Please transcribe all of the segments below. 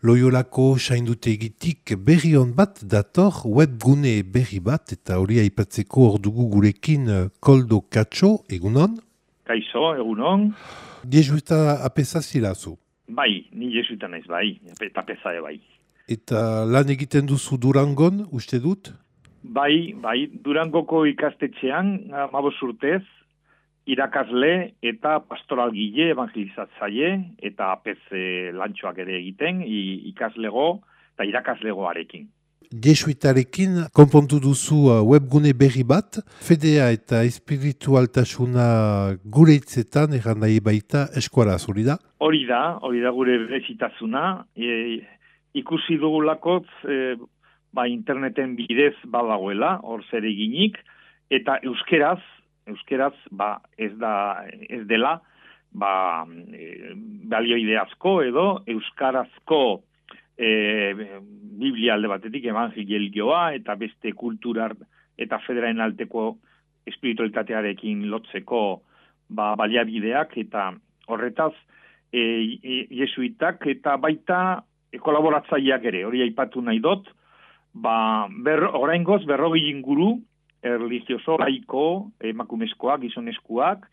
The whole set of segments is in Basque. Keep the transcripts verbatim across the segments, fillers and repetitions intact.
Loiolako saindutegitik berri on bat dator webgune berri bat eta hori aipatzeko hor dugu gurekin Koldo Katxo, egunon? Kaixo, egunon. Jesuita apesa zilazu? Bai, ni jesuita naiz, bai, eta apesa bai. Eta lan egiten duzu Durangon, uste dut? Bai, bai, Durangoko ikastetxean, hamabost urtez, irakasle eta pastoralgile, evangelizatzaile eta apese lantxoak ere egiten, ikaslego eta irakaslegoarekin. Jesuitarekin konpontu duzu webgune berri bat, fedea eta espiritualtasuna gure hitzetan erran nahi baita eskualaz, hori da? Hori da, hori da gure berezitasuna, e, ikusi dugulakotz, e, ba, interneten bidez badagoela, hor zer eginik, eta euskeraz, euskeraz, ba, ez da, ez dela, ba, e, balioide asko edo euskarazko E, Biblia alde batetik evangelioa eta beste kulturar eta federaren alteko espiritualitatearekin lotzeko ba, baliabideak eta horretaz e, e, jesuitak eta baita e, kolaboratzaileak ere, hori aipatu nahi dut, ba, ber, oraingoz berrogei inguru erlijioso, laiko, emakumezkoak, gizonezkoak,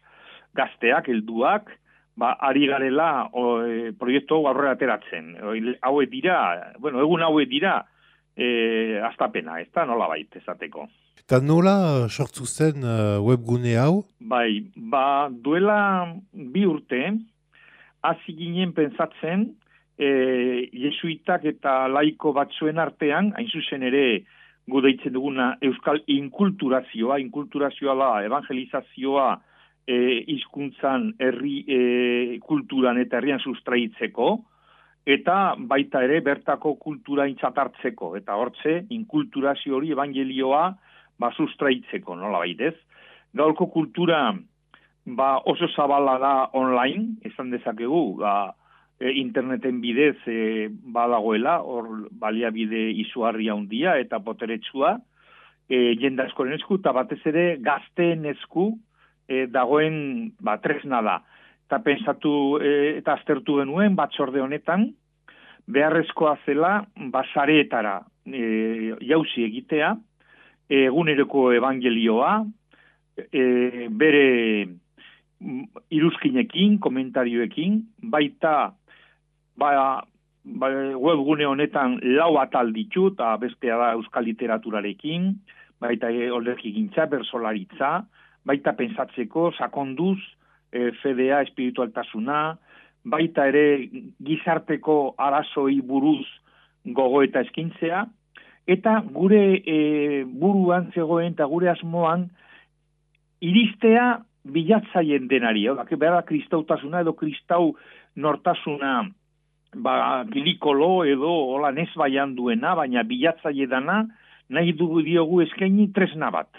gazteak, helduak, ba, ari garela o, e, proiektu aurrera ateratzen. Hauek dira, bueno, egun hauek dira, e, astapena, ez da nola bait, esateko. Eta nola sortu zen uh, webgune hau? Bai, ba, duela bi urte, hasi ginen pentsatzen, e, jesuitak eta laiko batzuen artean, hain zuzen ere, gu deitzen duguna euskal inkulturazioa, inkulturazioa da, evangelizazioa, E, hizkuntzan herri e, kulturan eta herrian sustraitzeko, eta baita ere bertako kultura intzatartzeko, eta hortze inkulturazio hori evangelioa ba, sustraitzeko, nola baitez. Gaurko kultura ba, oso zabala da online, esan dezakegu, ba, e, interneten bidez e, badagoela, hor baliabide izugarria handia eta boteretsua, e, jende askoren esku, eta batez ere gazteen esku, E, dagoen ba, tresna da. Eta pensatu e, eta aztertu genuen batzorde honetan, beharrezkoa zela basareetara e, jauzi egitea, e, eguneroko evangelioa, e, bere iruzkinekin, komentarioekin, baita ba, ba, webgune honetan lau atal ditu, eta bestea da euskal literaturarekin, baita e, olerki gintza, bersolaritza, baita pensatzeko, sakonduz, e, fedea, espiritualtasuna, baita ere gizarteko arazoi buruz gogo eta eskintzea, eta gure e, buruan zegoen eta gure asmoan iristea bilatzaien denari, eh? Behar kristautasuna edo kristau nortasuna ba, gilikolo edo hola nesbaian duena, baina bilatzaile dana nahi dugu diogu eskaini tresna bat.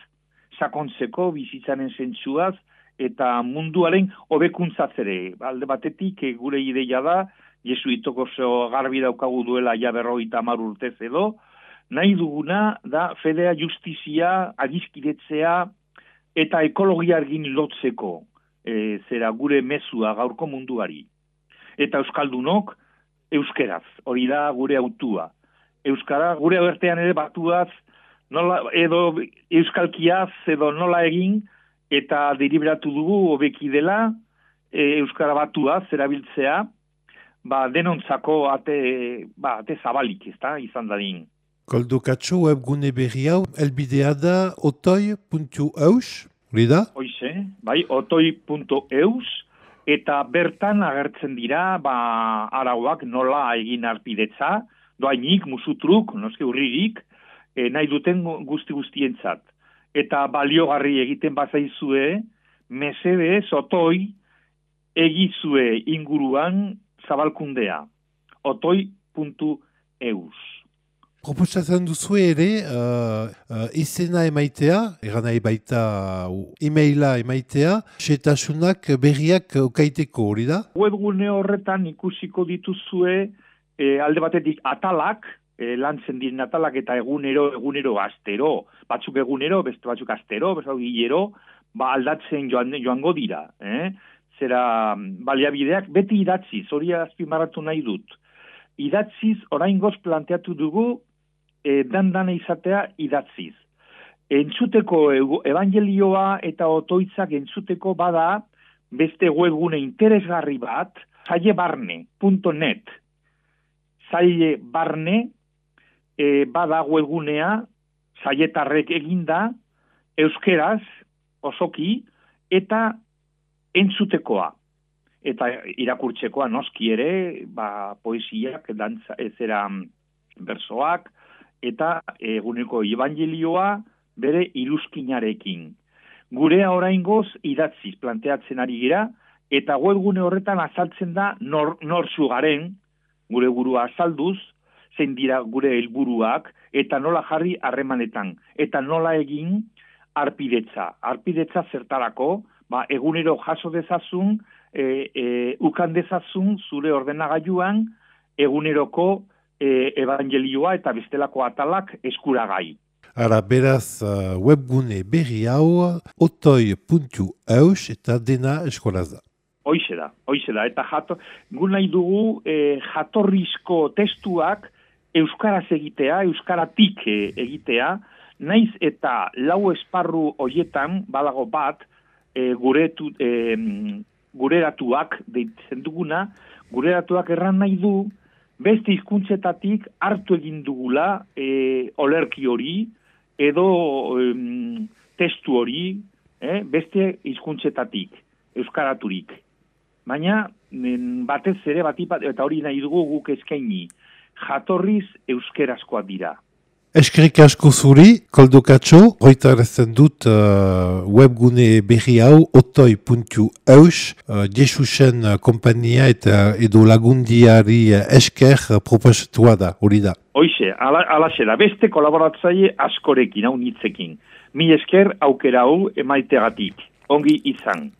Sakontzeko, bizitzaren zentsuaz, eta munduaren hobekuntzatzere. Alde batetik, gure ideia da, jesuitok oso garbi daukagu duela ja berrogeita hamar urtez edo, nahi duguna da fedea justizia, adiskidetzea, eta ekologiargin lotzeko, e, zera gure mezua gaurko munduari. Eta euskaldunok, euskeraz, hori da gure autua. Euskara, gure abertean ere batuaz, nola, edo euskalkiaz edo nola egin, eta deliberatu dugu hobeki dela e, euskara batuaz erabiltzea, ba, denontzako ate, ba, ate zabalik, ezta, izan dadin. Koldo Katxo, webgune berri hau, elbidea da otoi puntu eus, hori da? Hoize, bai, otoi puntu eus, eta bertan agertzen dira, ba, arauak nola egin arpidetza, doainik, musutruk, noske urririk, E, nahi duten guzti guztientzat. Eta baliogarri egiten bazaizue, mesedez, otoi, egizue inguruan zabalkundea. otoi puntu eus. Proposatzen duzu ere, uh, uh, izena emaitea, eran nahi baita uh, e-maila emaitea, setasunak berriak okaiteko, hori da? Webgune horretan ikusiko dituzue e, alde batetik atalak, E, lantzen diren atalak eta egunero, egunero, astero, batzuk egunero, beste batzuk astero, beste batzuk hilero, ba aldatzen joan, joango dira. Eh? Zera baliabideak beti idatziz, hori azpimarratu nahi dut. idatziz oraingoz planteatu dugu e, dan-dana izatea idatziz. Entzuteko evangelioa eta otoitzak entzuteko bada beste webgune interesgarri bat, zailebarne punto net. Zailebarne e, bada webgunea, zailetarrek eginda, euskeraz, osoki, eta entzutekoa. Eta irakurtzekoa noski ere, ba, poesiak, dantza, ezera bersoak, eta eguneko evangelioa bere iruzkinarekin. Gurea oraingoz idatziz planteatzen ari gira, eta webgune horretan azaltzen da nor, norzu garen, gure burua azalduz, zein dira gure helburuak, eta nola jarri harremanetan, eta nola egin arpidetza. Arpidetza zertarako, ba, egunero jaso dezazun, e, e, ukan dezazun zure ordenagailuan, eguneroko e, evangelioa eta bestelako atalak eskuragai. Ara, beraz, uh, webgune berri hau, otoi puntu eus eta dena eskolaz da. Hoize da, hoize da. Eta jato, gu nahi dugu e, jatorrizko testuak euskaraz egitea, euskaratik egitea, naiz eta lau esparru hoietan, badago bat, e, guretu, e, gureratuak deitzen duguna, gureratuak erran nahi du, beste hizkuntzetatik hartu egin dugula e, olerki hori, edo em, testu hori, eh, beste hizkuntzetatik, euskaraturik. Baina, batez ere, batipat, eta hori nahi dugu guk eskaini, jatorriz euskerazkoa dira. Eskerrik asko zuri, Koldo Katxo, hoitarazten dut uh, webgune berri hau otoi puntu eus, uh, Jesusen kompania eta edo lagundiari esker proposatua da, hori da. Hoize, ala, alaxe da, beste kolaboratzaile askorekin, hau nitzekin. Mi esker aukera hau emaitegatik, ongi izan.